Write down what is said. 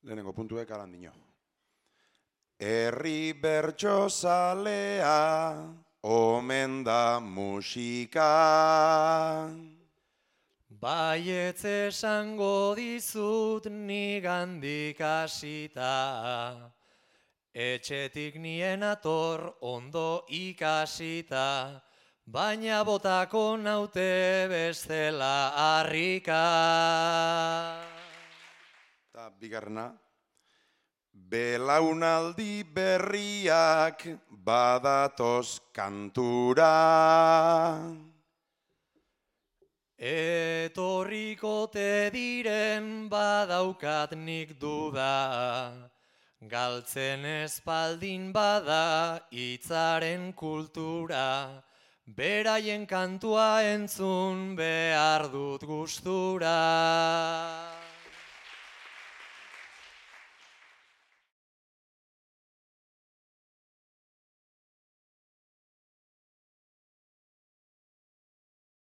lehenengo puntuek alandino. Herri bertsozalea, omen da musika. Baietz esango dizut nigandik hasita, etxetik nien ator ondo ikasita, baina botako naute bestela harrika. Eta bigarrena, belaunaldi berriak badatoz kantura. Etorrikote diren badaukat nik duda, galtzen espaldin bada hitzaren kultura, beraien kantua entzun behar dut gustura.